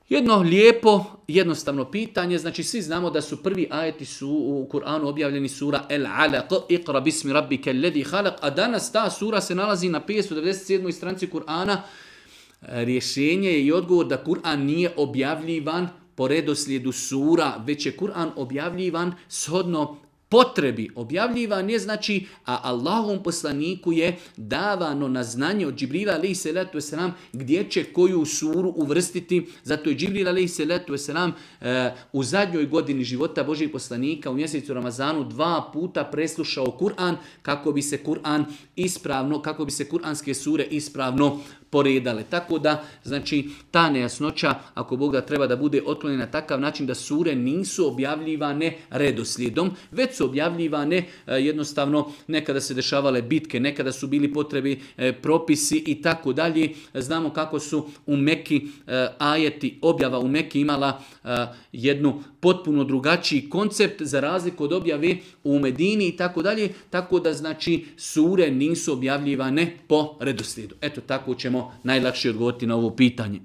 Jedno lijepo, jednostavno pitanje, znači svi znamo da su prvi ajeti su u Kur'anu objavljeni sura El Alaq, Iqra bismi rabbika alladhi khalaq, a danas ta sura se nalazi na 597. stranici Kur'ana. Rješenje je i odgovor da Kur'an nije objavljivan po redoslijedu sura, već je Kur'an objavljivan shodno potrebi. Objavljivan je znači, a Allahovom poslaniku je davano na znanje od Džibrila alejhi selatu vesselam gdje će koju suru uvrstiti. Zato je Džibril alejhi selatu vesselam u zadnjoj godini života Božjeg poslanika u mjesecu Ramazanu 2 puta preslušao Kur'an kako bi se Kur'an ispravno, kako bi se kuranske sure ispravno poredale. Tako da, znači, ta nejasnoća, ako Bog da, treba da bude otklonjena na takav način da sure nisu objavljivane redoslijedom, već su objavljivane jednostavno, nekada se dešavale bitke, nekada su bili potrebi propisi i tako dalje. Znamo kako su u Meki ajeti, objava u Meki imala jednu potpuno drugačiji koncept za razliku od objave u Medini i tako dalje. Tako da, znači, sure nisu objavljivane po redoslijedu. Eto, tako ćemo najlakše odgovoriti na ovo pitanje.